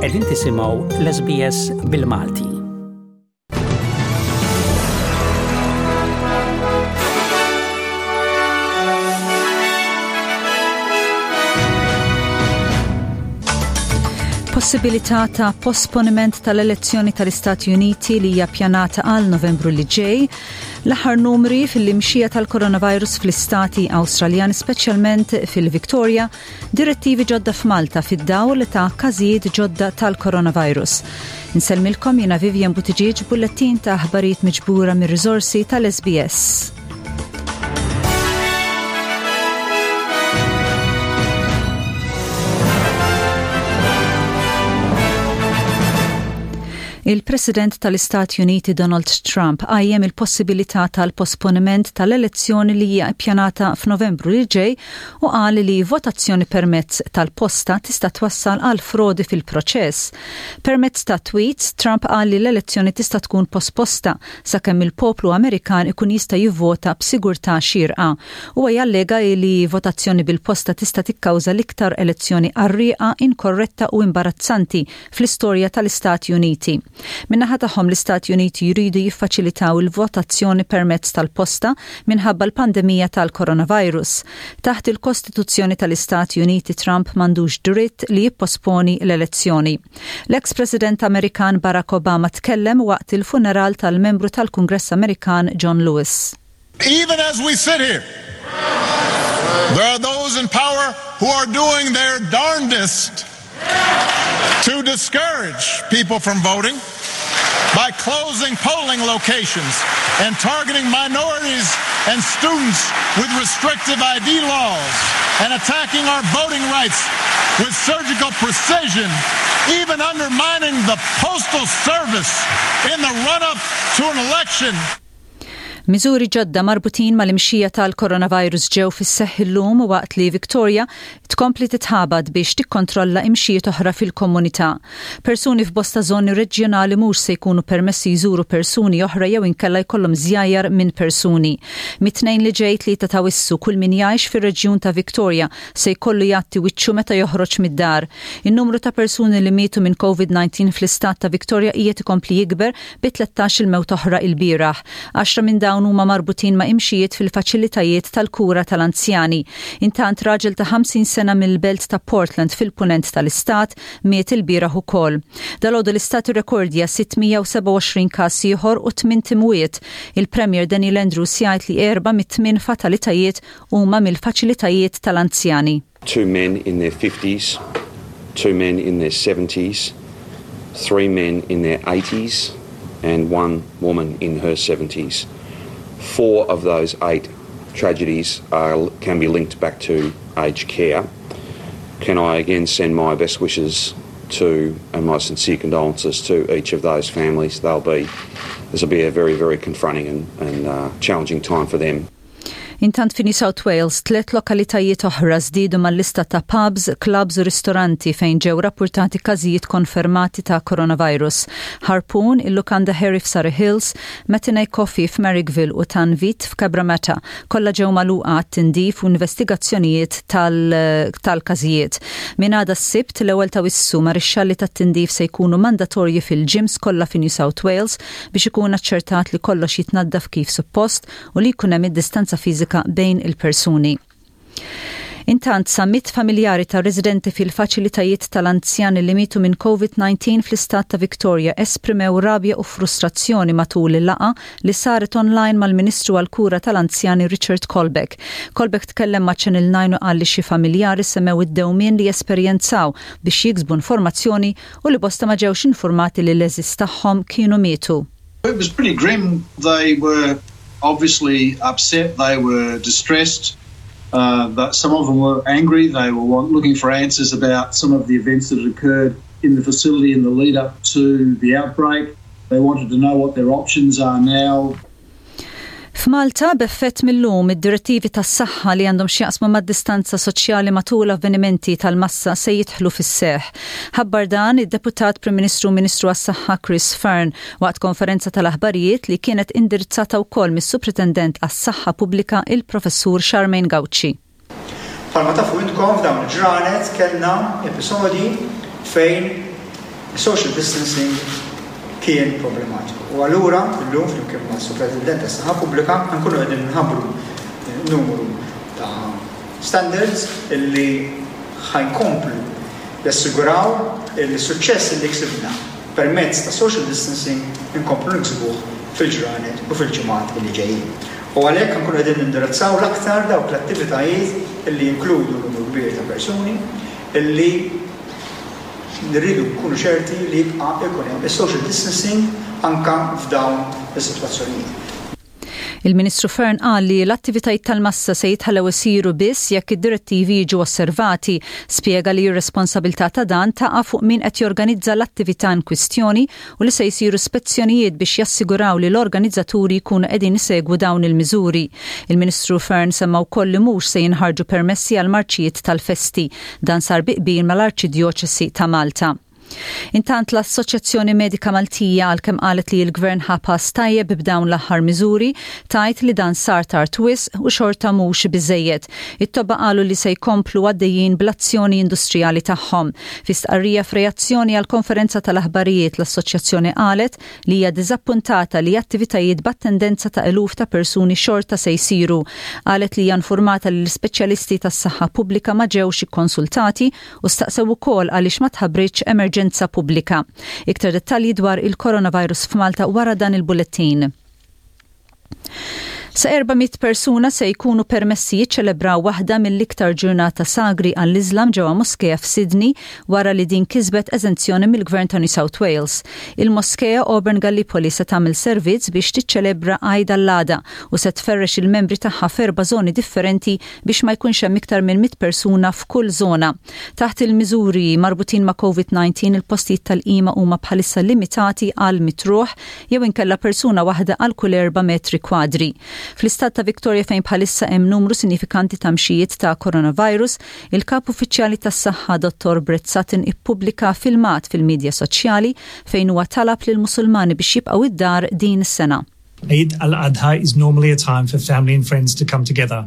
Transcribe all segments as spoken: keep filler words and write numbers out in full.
Qegħdin tisimgħu l-S B S bil-Malti. Possibilità ta' posponiment tal-elezzjoni tal-Istati Uniti li hija pjanata għal Novembru li ġej, l-aħħar numri fil-imxija tal-coronavirus fl-istati Awstraljani, speċjalment fil-Victoria, direttivi ġodda f'Malta fid-dawl ta' każijiet ġodda tal-coronavirus. Insellmilkom jiena Vivian Buttigieg, bullettin ta' aħbarijiet miġbura mir-riżorsi tal-S B S. Il-President tal-Istati Uniti Donald Trump qajjem il-possibilità tal-posponiment tal-elezzjoni li hija ppjanata f'Novembru li ġej u qal li votazzjoni permezz tal-posta tista' twassal għal frodi fil-proċess. Permezz ta' tweets, Trump qal li l-elezzjoni tista' tkun posposta sakemm il-poplu Amerikan ikun jista' jivvota b'sigurtà xierqa. Huwa jallega li votazzjoni bil-posta tista' tikkawża l-iktar elezzjoni qarrieqa, inkorretta u imbarazzanti fl-istorja tal-Istati Uniti. Min-naħa tagħhom, l-Istati Uniti jridu jiffaċilitaw il-votazzjoni permezz tal-posta minħabba l-pandemija tal-coronavirus. Taħt il-Kostituzzjoni tal-Istati Uniti, Trump m'għandux dritt li jipposponi l-elezzjoni. L-ex-President Amerikan Barack Obama tkellem waqt il-funeral tal-membru tal-Kungress Amerikan John Lewis. Even as we sit here, there are those in power who are doing their darndest to discourage people from voting by closing polling locations and targeting minorities and students with restrictive I D laws and attacking our voting rights with surgical precision, even undermining the Postal Service in the run-up to an election. Miżuri ġodda marbutin mal-imxija tal-coronavirus ġew fis-seħħ illum waqt li Victoria tkompli titħabad biex tikkontrolla imxijiet oħra fil-komunità. Persuni f'bosta żoni reġjonali mhux se jkunu permessi jżuru persuni oħra jew inkella jkollhom żjajjar minn persuni. Mit-Tnejn li ġej, tlieta ta' Awwissu, kull min jgħix fir-reġjun ta' Victoria se jkollu jgħatti wiċċu meta joħroġ mid-dar. In-numru ta' persuni li mietu minn COVID nineteen fl-istat ta' Victoria qiegħed ikompli jikber bi tlettax il-mewt oħra il-bieraħ. Għaxra minn dawn huma marbutin ma' imxijiet fil-faċilitajiet tal-kura tal-anzjani. Intant, raġel ta' ħamsin sena mill-belt ta' Portland fil-punent tal-istat miet il-bieraħ ukoll. Dalgħodu l-istat irrekordja sitt mija u sebgħa u għoxrin każ ieħor u tmien imwiet. Il-Premier Daniel Andrews jgħid li erba' mit-tmien fatalitajiet huma mill-faċilitajiet tal-anzjani. Two men in their fifties, two men in their seventies, three men in their eighties, and one woman in her seventies. Four of those eight tragedies are, can be linked back to aged care. Can I again send my best wishes to and my sincere condolences to each of those families? They'll be this will be a very, very confronting and, and uh, challenging time for them. Intant, fi New South Wales, tliet lokalitajiet oħra żdiedu mal-lista ta' pubs, clubs u ristoranti fejn ġew rapportati każijiet konfermati ta' coronavirus. Harpoon, il-Lukanda Harry f'Surry Hills, Matinee Coffee f'Marrickville u Tanvit f'Cabramatta kollha ġew magħluqa tindif u investigazzjonijiet tal-każijiet. Min għada s-Sibt, l-ewwel ta' Awwissu, marixxalli tat-tindif se jkunu mandatorji fil-gyms kollha fi New South Wales biex ikun aċċertat li kollox jitnaddaf kif suppost u li jkun hemm id-distanza fiżika bejn il-persuni. Intant, sa mitt familjari ta' residenti fil-faċilitajiet tal-anzjani li mietu minn COVID nineteen fl-istat ta' Victoria esprimew rabja u frustrazzjoni matul il-laqgħa li saret online mal-Ministru għal-Kura tal-Anzjani Richard Colbeck. Colbeck tkellem ma' Channel nine u qal li xi familjari semmew id-dewmien li esperjenzaw biex jiksbu informazzjoni u li bosta ma ġewx informati li l-għeżież tagħhom kienu mietu. It was pretty grim. They were obviously upset, they were distressed. Uh, but some of them were angry. They were want, looking for answers about some of the events that had occurred in the facility in the lead up to the outbreak. They wanted to know what their options are now. F'Malta, b'effett mill-lum, id-direttivi tas-saħħa li għandhom x'jaqsmu mad-distanza soċjali matul avvenimenti tal-massa se jidħlu fis-seħ. Ħabbar dan id-Deputat Prim Ministru, Ministru għas-Saħħa Chris Fearne waqt konferenza tal-aħbarijiet li kienet indirizzata wkoll mis-Supretendent għas-Saħħa Pubblika, il-Professur Charmaine Gauci. Bħalma tafu intkom, f'dawn il-ġranet kellna episodji fejn Social distancing kien problematiku. U allura llum flimkien ma' Supretendent tas-Saħħa Pubblika nkunu qegħdin nħabbru numru ta' standards illi ħa jkomplu jassiguraw il-suċċess li ksibna permezz ta' social distancing inkomplu niksbuh fil-ġranet u fil-ġimgħat li ġejjin. U għalhekk nkunu qegħdin nindirizzaw l-aktar dawk l-attivitajiet illi jinkludu numru kbir ta' persuni illi nirridu nkunu ċerti li jibqa' ikun hemm is-social distancing anka f'dawn is-sitwazzjonijiet. Il-Ministru Fearne qal li l-attivitajiet tal-massa se jitħallew isiru biss jekk id-direttivi jiġu osservati. Spjega li r-responsabilità ta' dan taqa' fuq min qed jorganizza l-attività in kwistjoni u li se jsiru spezzjonijiet biex jassiguraw li l-organizzaturi jkunu qegħdin isegwu dawn il-miżuri. Il-Ministru Fearne semma wkoll li mhux se jinħarġu permessi għal marċijiet tal-festi. Dan sar bi qbil mal-Arċidjoċesi ta' Malta. Intant, l-Assoċjazzjoni Medika Maltija, għalkemm qalet li l-Gvern ħa pass tajjeb b'dawn l-aħħar miżuri, tgħid li dan sar tard wisq u xorta mhux biżejjed. It-tobba qalu li se jkomplu għaddejjin bl-azzjoni industrijali tagħhom. Fi stqarrija f'reazzjoni għal konferenza tal-aħbarijiet, l-assoċjazzjoni qalet li hija diżappuntata li attivitajiet b'attendenza ta' eluf ta' persuni xorta se jsiru. Qalet li hija informata li l-ispeċjalisti tas-saħħa pubblika ma ġewx ikkonsultati u staqsew ukoll għaliex ma tħabbritx emerġenza pubblika. Iktar dettalji dwar il-coronavirus f'Malta wara dan il-bullettin. Sa erba' mitt persuna se jkunu permessi jiċċelebraw waħda mill-iktar ġurnata sagri għall-Islam ġewwa Moskea f'Sydney wara li din kisbet eżenzjoni mill-Gvern ta' New South Wales. Il-Moskea Auburn Gallipoli se tagħmel servizz biex tiċċelebra Eid al-Adha u se tferrex il-membri tagħha f'erba' żoni differenti biex ma jkunx hemm iktar minn mitt persuna f'kull żona. Taħt il-miżuri marbutin ma' COVID nineteen, il-postijiet tal-qima huma bħalissa limitati għal mitt ruħ jew inkella persuna waħda għal kull erba' metri kwadri. Fl-istat ta' Victoria, fejn bħalissa hemm numru sinifikanti ta' mxijiet ta' coronavirus, il-kap uffiċjali tas-saħħa Dottor Brett Sutton ippubblika filmat fil-medja soċjali fejn huwa talab lil Musulmani biex jibqgħu id-dar din is-sena. Eid al-Adha is normally a time for family and friends to come together,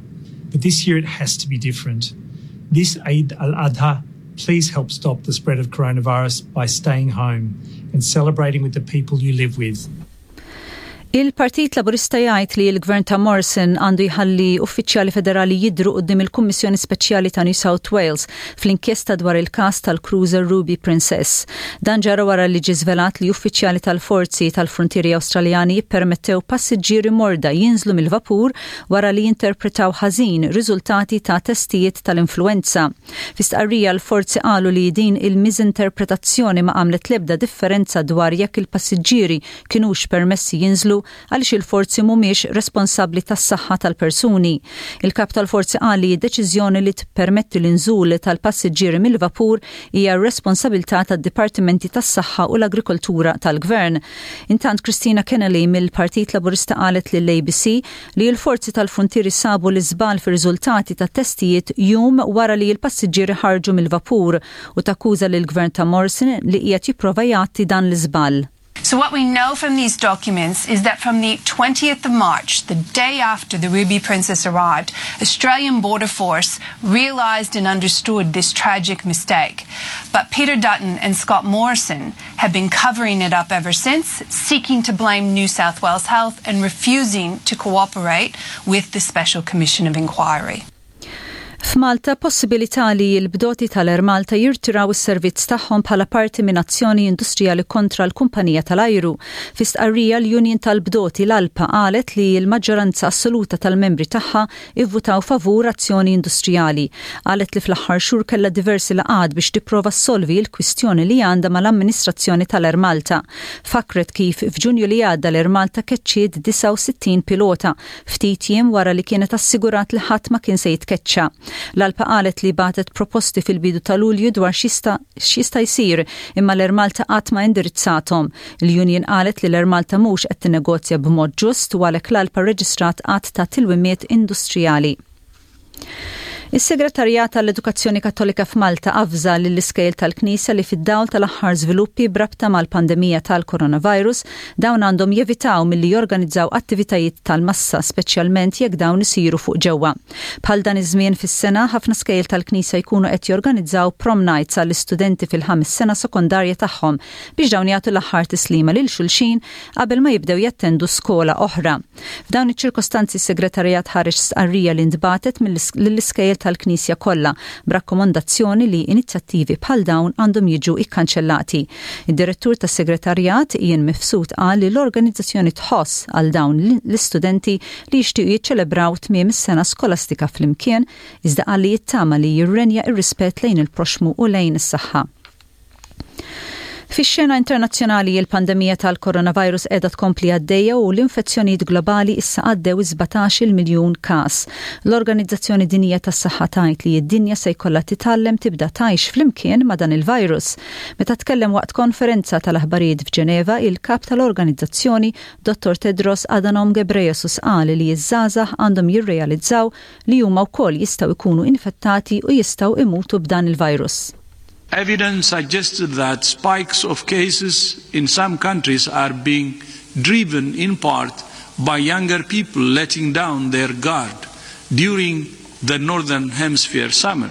but this year it has to be different. This Eid al-Adha, please help stop the spread of coronavirus by staying home and celebrating with the people you live with. Il-Partit Laburista jgħid li l-Gvern ta' Morrison għandu jħalli uffiċjali federali jidru quddiem il-Kummissjoni Speċjali ta' New South Wales fl-inkjesta dwar il-kas tal-cruiser Ruby Princess. Dan ġara wara li ġie żvelat li uffiċjali tal-forzi tal-frontieri Awstraljani jippermettew passiġġieri morda jinżlu mill-vapur wara li jinterpretaw ħażin riżultati ta' testijiet tal-influenza. Fi stqarrija, l-forzi qalu li din il-miżinterpretazzjoni ma għamlet lebda differenza dwar jekk il-passiġġieri kinux permessi jinżlu għaliex il-forzi mhumiex responsabbli tas-saħħa tal-persuni. Il-kap tal-forzi qal li d-deċiżjoni li tippermetti l-inżul tal-passiġġieri mill-vapur hija responsabilità tad-Dipartimenti tas-Saħħa u l-Agrikoltura tal-Gvern. Intant, Kristina Keneally mill-Partit Laburista qalet lill-A B C li l-forzi tal-frontieri sabu l-iżbal fir-riżultati ta' testijiet jum wara li l-passiġġieri ħarġu mill-vapur u takkuża lill-Gvern ta' Morrison li qiegħed jipprova jgħatti dan l-iżbal. So, what we know from these documents is that from the twentieth of March, the day after the Ruby Princess arrived, Australian Border Force realised and understood this tragic mistake. But Peter Dutton and Scott Morrison have been covering it up ever since, seeking to blame New South Wales Health and refusing to cooperate with the Special Commission of Inquiry. F'Malta, possibilità li l-bdoti tal-Air Malta jirtiraw is-servizz tagħhom bħala parti minn azzjoni industrijali kontra l-kumpanija tal-ajru. Fi stqarrija, l-Union tal-Bdoti, l-ALPA, qalet li l-maġġoranza assoluta tal-membri tagħha ivvutaw favur azzjoni industrijali. Qalet li fl-aħħar xhur kellha diversi laqgħat biex tipprova ssolvi l-kwistjoni li għandha mal-amministrazzjoni tal-Air Malta. Fakret kif f'Ġunju li għadda l-Air Malta keċċiet disgħa u sittin pilota ftit jiem wara li kienet assigurat li ħadd ma kien se jitkeċċa. L-ALPA qalet li bagħtet proposti fil-bidu ta' Lulju dwar x'jista' jsir, imma l-Air Malta qatt ma indirizzathom. Il-Union qalet li l-Air Malta mhux qed tinnegozja b'mod ġust u għalhekk l-ALPA reġistrat għadd ta' tilwimiet industrijali. Is-Segretarjat tal-Edukazzjoni Kattolika f'Malta avża lill-iskejjel tal-Knisja li fid-dawl tal-aħħar żviluppi b'rabta mal-pandemija tal-coronavirus dawn għandhom jevitaw milli jorganizzaw attivitajiet tal-massa, speċjalment jekk dawn isiru fuq ġewwa. Bħal dan iż-żmien fis-sena, ħafna skejjel tal-Knisja jkunu qed jorganizzaw prom nights għall-istudenti fil-ħames sena sekondarja tagħhom biex dawn jagħtu l-aħħar tislima lil xulxin qabel ma jibdew jattendu skola oħra. F'dawn iċ-ċirkostanzi, s-segretarjat ħareġ stqarrija li ntbagħtet lill-iskejjel tal-Knisja kollha b'rakkomandazzjoni li inizjattivi bħal dawn għandhom jiġu ikkanċellati. Id-direttur tas-segretarjat, Ian Mifsud, qal li l-organizzazzjoni tħoss għal dawn l-istudenti li jixtiequ jiċċelebraw tmiem is-sena skolastika flimkien, iżda qal li jittama li jirrenja ir-rispett lejn il-proxmu u lejn is-saħħa. Fix-xena internazzjonali, il-pandemija tal-coronavirus qiegħda tkompli għaddejja u l-infezzjonijiet globali issa għaddew sbatax-il miljun każ. L-Organizzazzjoni Dinjija tas-Saħħa tgħid li d-dinja se jkollha titgħallem tibda tgħix flimkien ma' dan il-virus. Meta tkellem waqt konferenza tal-aħbarijiet f'Ġeneva, il-kap tal-organizzazzjoni, Dottor Tedros Adhanom Ghebreyesus, qal li ż-żgħażagħ għandhom jirrealizzaw li huma wkoll jistgħu jkunu infettati u jistgħu imutu b'dan il-virus. Evidence suggested that spikes of cases in some countries are being driven in part by younger people letting down their guard during the Northern Hemisphere summer.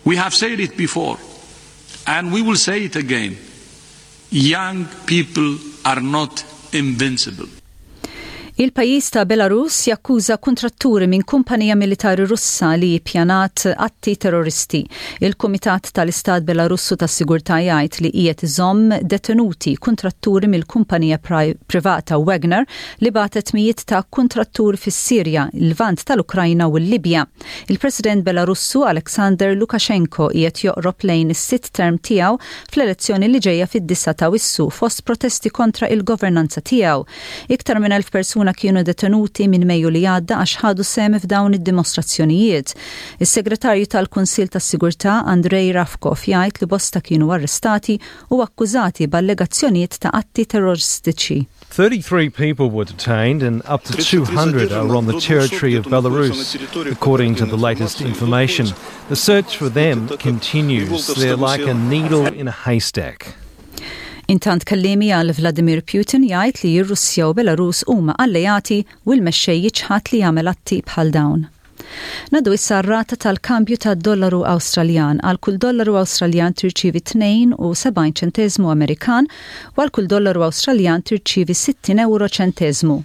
We have said it before, and we will say it again. Young people are not invincible. Il-pajjiż ta' Belarus jakkuża kontratturi minn kumpanija militari Russa li pjanat atti terroristi. Il-Kumitat tal-Istat Belarussu tas-Sigurtà jgħid li qiegħed iżomm detenuti kontratturi mill-kumpanija privata Wagner li bagħtet mijiet ta' kontratturi fis-Sirja, il-Lvant tal-Ukrajna u l-Libja. Il-President Belarussu Alexander Lukashenko qiegħed joqrob lejn is-sitt term tiegħu fl-elezzjoni li ġejja fid-disgħa ta' Awwissu fost protesti kontra il-governanza tiegħu. Iktar minn elf persuna kienu detenuti minn Mejju li għadda għax ħadu sehem f'dawn id-dimostrazzjonijiet. Is-segretarju tal-Kunsill tas-Sigurtà, Andrej Ravkov, jgħid li bosta kienu arrestati u akkużati b'allegazzjonijiet ta' atti terroristiċi. thirty-three people were detained and up to two hundred are on the territory of Belarus, according to the latest information. The search for them continues. They're like a needle in a haystack. Intant, kelliemi għal Vladimir Putin jgħid li r-Russja u Belarus huma alleati u l-mexxej jiċħad li jagħmel atti bħal dawn. Ngħaddu issa r-rata tal-kambju tad-dollaru Awstraljan. Għal kull dollaru Awstraljan tirċivi tnejn u sebgħin ċentesmu Amerikan u għal kull dollaru Awstraljan tirċivi sittin euro ċentesmu.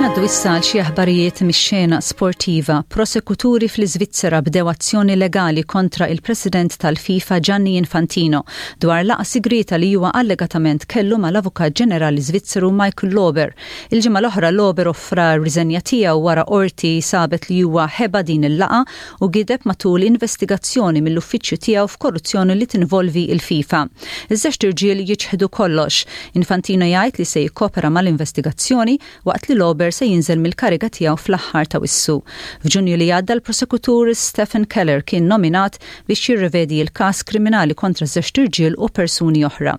Ngħaddu issa għal xi aħbarijiet mix-xena sportiva. Prosekuturi fl-Iżvizzera bdew azzjoni legali kontra il-President tal-FIFA, Gianni Infantino, dwar laqgħa sigrita li huwa allegatament kellu mal-Avukat Ġenerali Svizzeru Michael Lauber. Il-ġimgħa l-oħra Lauber offra riżenja tiegħu wara qorti sabet li huwa ħeba din il-laqgħa u gideb matul investigazzjoni mill-uffiċċju tiegħu f'korruzzjoni li tinvolvi il-FIFA. Iż-żewġt irġiel jiċħdu kollox. Infantino jgħid li se jikkopera mal-investigazzjoni waqt li Lauber se jinżel mill-kariga tiegħu fl-aħħar ta' Awwissu. F'Ġunju li għadda, l-prosekutur Stephen Keller kien nominat biex jirrevedi l-każ kriminali kontra żewġt irġiel u persuni oħra.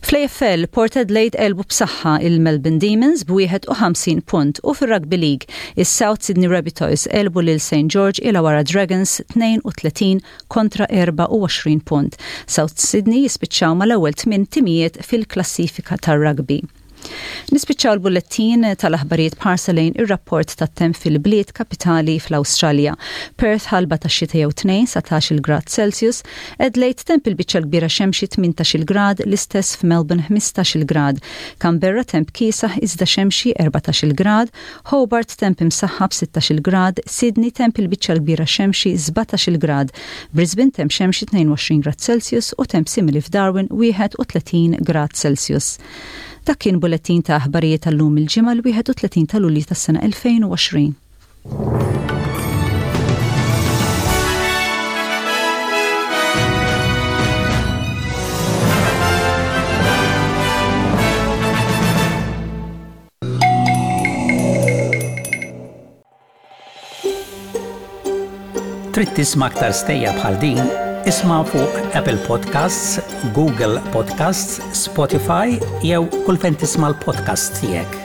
Fl-A F L, Port Adelaide għelbu b'saħħa il-Melbourne Demons b'wieħed u ħamsin punt u fir-Rugby League, is-South Sydney Rabbitohs għelbu lil Saint George Illawarra Dragons tnejn u tletin kontra erbgħa u għoxrin punt. South Sydney jispiċċaw mal-ewwel tmien timijiet fil-klassifika tar-rugby. Nispiċċaw l-bullettin tal-aħbarijiet b'ħarsa lejn ir-rapport tat-temp fil-bliet kapitali fl-Awstralja. Perth, ħalba ta' xita jew tnejn, satax-il grad Celsius, Adelaide, temp il-biċċa kbira xemxi, tmintax-il grad, l-istess f'Melbourne, ħmistax-il grad, Canberra, temp kiesaħ iżda xemxi, erbatax-il grad, Hobart, temp imsaħħab, sittax-il grad, Sydney, temp il-biċċa kbira xemxi, sbatax-il grad, Brisbane, temp xemxi, tnejn u għoxrin grad Celsius u temp simili f'Darwin, wieħed u tletin grad Celsius. Dak kien bullettin ta' aħbarijiet tal-lum, il-Ġimgħa l-wieħed u tletin ta' Lulju tas-sena elfejn u għoxrin. Trid tisma' aktar stejjer bħal din? Isma' fuq Apple Podcasts, Google Podcasts, Spotify jew kull fejn tisma' l-podcast tiegħek.